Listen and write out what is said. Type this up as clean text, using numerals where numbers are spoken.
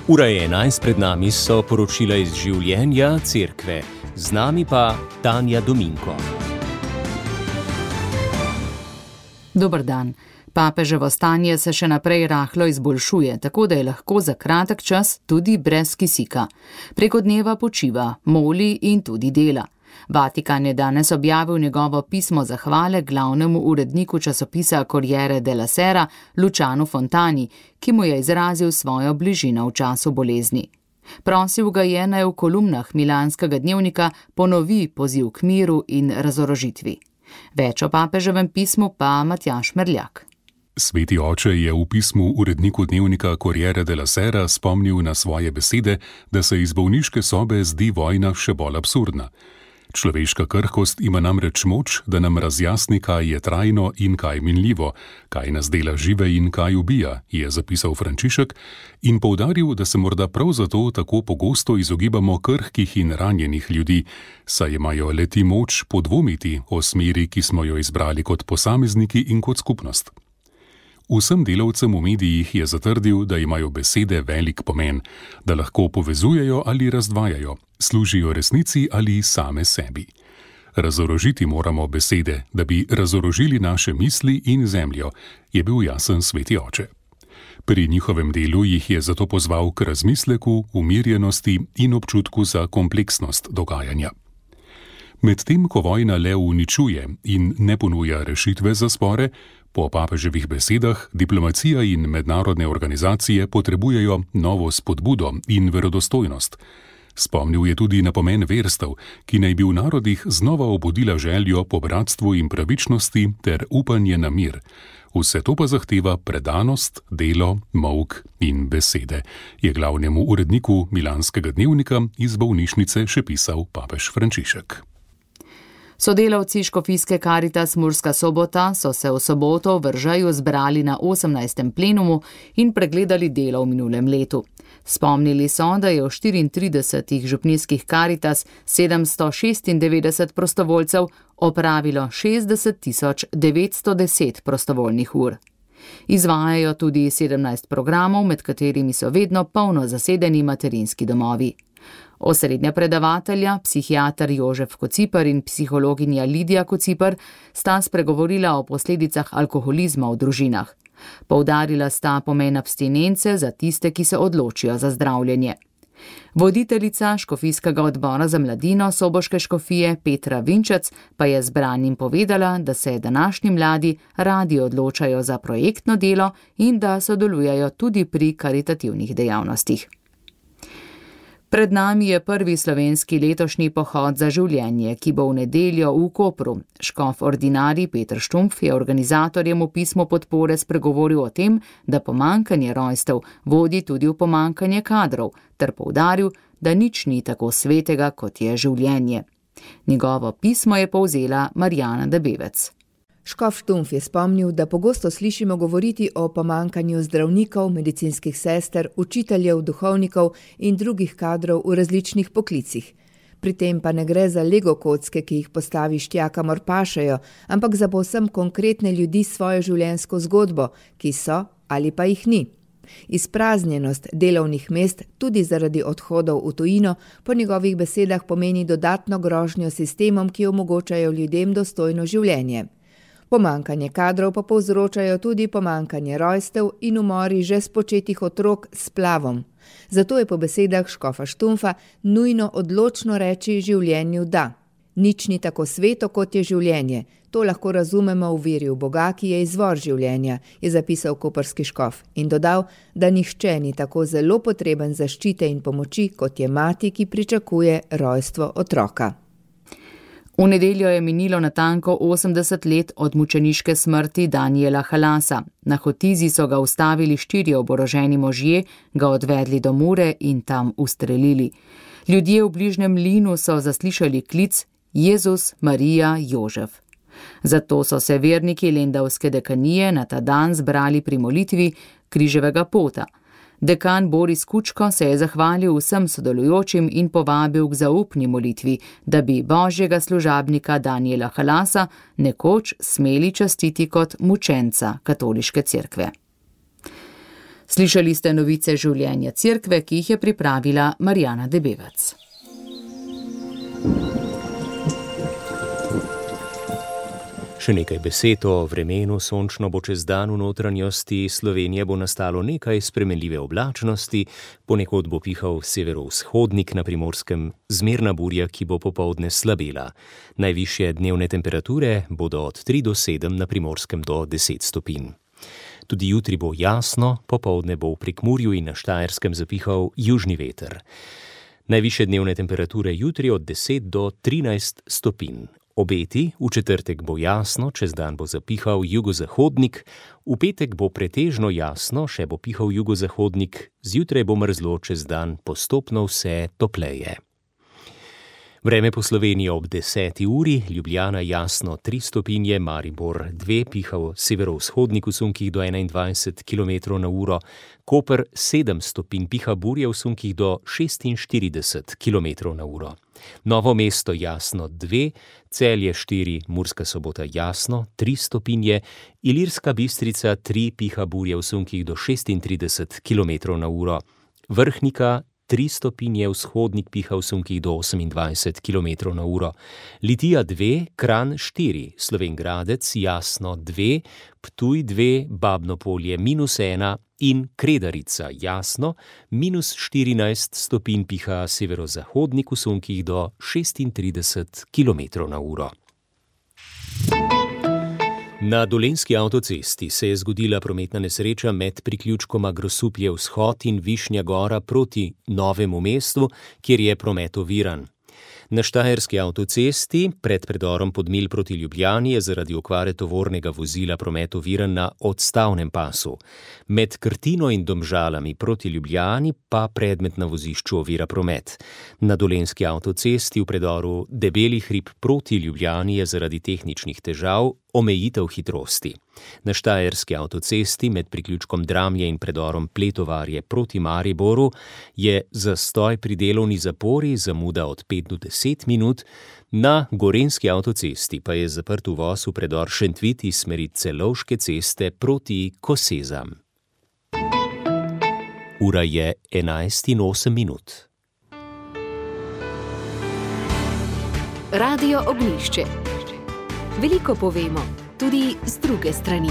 Ura je 11, pred nami so poročila iz življenja cerkve. Z nami pa Tanja Dominko. Dober dan. Papeževo stanje se še naprej rahlo izboljšuje, tako da je lahko za kratek čas tudi brez kisika. Preko dneva počiva, moli in tudi dela. Vatikan je danes objavil njegovo pismo zahvale glavnemu uredniku časopisa Corriere della Sera, Lucianu Fontani, ki mu je izrazil svojo bližino v času bolezni. Prosil ga je, naj v kolumnah milanskega dnevnika ponovi poziv k miru in razorožitvi. Več o papeževem pismu pa Matjaž Merljak. Sveti oče je v pismu uredniku dnevnika Corriere della Sera spomnil na svoje besede, da se iz bolniške sobe zdi vojna še bolj absurdna. Človeška krhkost ima namreč moč, da nam razjasni, kaj je trajno in kaj minljivo, kaj nas dela žive in kaj ubija, je zapisal Frančišek in poudaril, da se morda prav zato tako pogosto izogibamo krhkih in ranjenih ljudi, saj imajo le-ti moč podvomiti o smeri, ki smo jo izbrali kot posamezniki in kot skupnost. Vsem delavcem v medijih je zatrdil, da imajo besede velik pomen, da lahko povezujejo ali razdvajajo, služijo resnici ali same sebi. Razorožiti moramo besede, da bi razorožili naše misli in zemljo, je bil jasen sveti oče. Pri njihovem delu jih je zato pozval k razmisleku, umirjenosti in občutku za kompleksnost dogajanja. Medtem ko vojna le uničuje in ne ponuja rešitve za spore, po papeževih besedah diplomacija in mednarodne organizacije potrebujejo novo spodbudo in verodostojnost. Spomnil je tudi na pomen verstev, ki naj bi v narodih znova obudila željo po bratstvu in pravičnosti ter upanje na mir. Vse to pa zahteva predanost, delo, molk in besede, je glavnemu uredniku milanskega dnevnika iz bolnišnice še pisal papež Frančišek. Sodelavci škofijske Caritas Murska Sobota so se v soboto v Vržeju zbrali na 18. plenumu in pregledali delo v minulem letu. Spomnili so, da je v 34 župnijskih Caritas 796 prostovoljcev opravilo 60.910 prostovoljnih ur. Izvajajo tudi 17 programov, med katerimi so vedno polno zasedeni materinski domovi. Osrednja predavatelja, psihiater Jožef Kociper in psihologinja Lidija Kociper, sta spregovorila o posledicah alkoholizma v družinah. Poudarila sta pomen abstinence za tiste, ki se odločijo za zdravljenje. Voditeljica škofijskega odbora za mladino soboške škofije Petra Vinčec pa je zbranim povedala, da se današnji mladi radi odločajo za projektno delo in da sodelujejo tudi pri karitativnih dejavnostih. Pred nami je prvi slovenski letošnji pohod za življenje, ki bo v nedeljo v Kopru. Škof ordinarij Peter Štumpf je organizatorjem v pismu podpore spregovoril o tem, da pomanjkanje rojstev vodi tudi v pomanjkanje kadrov, ter poudaril, da nič ni tako svetega, kot je življenje. Njegovo pismo je povzela Marjana Debevec. Škof Štumpf je spomnil, da pogosto slišimo govoriti o pomanjkanju zdravnikov, medicinskih sester, učiteljev, duhovnikov in drugih kadrov v različnih poklicih. Pri tem pa ne gre za lego kocke, ki jih postaviš tja, kamor pašejo, ampak za povsem konkretne ljudi s svojo življenjsko zgodbo, ki so ali pa jih ni. Izpraznjenost delovnih mest tudi zaradi odhodov v tujino po njegovih besedah pomeni dodatno grožnjo sistemom, ki omogočajo ljudem dostojno življenje. Pomanjkanje kadrov pa povzročajo tudi pomanjkanje rojstev in umori že spočetih otrok s splavom. Zato je po besedah škofa Štumpfa nujno odločno reči življenju da. Nič ni tako sveto, kot je življenje. To lahko razumemo v veri v Boga, ki je izvor življenja, je zapisal koprski škof in dodal, da nihče ni tako zelo potreben zaščite in pomoči, kot je mati, ki pričakuje rojstvo otroka. V nedeljo je minilo natanko 80 let od mučeniške smrti Daniela Halasa. Na Hotizi so ga ustavili 4 oboroženi možje, ga odvedli do Mure in tam ustrelili. Ljudje v bližnjem Linu so zaslišali klic Jezus, Marija, Jožef. Zato so se verniki lendavske dekanije na ta dan zbrali pri molitvi križevega pota. Dekan Boris Kučko se je zahvalil vsem sodelujočim in povabil k zaupni molitvi, da bi božjega služabnika Daniela Halasa nekoč smeli častiti kot mučenca katoliške cerkve. Slišali ste novice življenja cerkve, ki jih je pripravila Marjana Debevac. Še nekaj besed o vremenu. Sončno bo čez dan v notranjosti Slovenije bo nastalo nekaj spremenljive oblačnosti, ponekod bo pihal severovzhodnik, na Primorskem zmerna burja, ki bo popoldne slabela. Najvišje dnevne temperature bodo od 3 do 7, na Primorskem do 10 stopinj. Tudi jutri bo jasno, popoldne bo v Prekmurju in na Štajerskem zapihal južni veter. Najvišje dnevne temperature jutri od 10 do 13 stopinj. Obeti: v četrtek bo jasno, čez dan bo zapihal jugozahodnik, v petek bo pretežno jasno, še bo pihal jugozahodnik, zjutraj bo mrzlo, čez dan postopno vse topleje. Vreme po Sloveniji ob 10. uri: Ljubljana jasno 3 stopinje, Maribor 2, pihal severovzhodnik v sunkih do 21 km/h, Koper 7 stopinj, piha burja v sunkih do 46 km/h. Novo mesto jasno 2, Celje 4, Murska Sobota jasno 3 stopinje, Ilirska Bistrica 3, piha burja v sunkih do 36 km/h, Vrhnika 3 stopinje, vzhodnik piha v sunkih do 28 km/h, Litija 2, Kranj 4, Slovenj Gradec jasno 2, Ptuj 2, Babno Polje -1 in Kredarica jasno -14 stopinj, piha severozahodnik v sunkih do 36 km/h. Na Dolenjski avtocesti se je zgodila prometna nesreča med priključkoma Grosuplje-vzhod in Višnja Gora proti Novemu mestu, kjer je promet oviran. Na Štajerski avtocesti pred predorom Podmilj proti Ljubljani je zaradi okvare tovornega vozila promet oviran na odstavnem pasu. Med Krtino in Domžalami proti Ljubljani pa predmet na vozišču ovira promet. Na Dolenjski avtocesti v predoru Debeli hrib proti Ljubljani je zaradi tehničnih težav omejitev hitrosti. Na Štajerski avtocesti med priključkom Dramlje in predorom Pletovarje proti Mariboru je zastoj pri delovni zapori, zamuda od 5 do 10 minut, na Gorenjski avtocesti pa je zaprt uvoz v predor Šentvit iz smeri Celovške ceste proti Kosezam. Ura je 11:08. Radio Ognjišče. Veliko povemo, tudi z druge strani.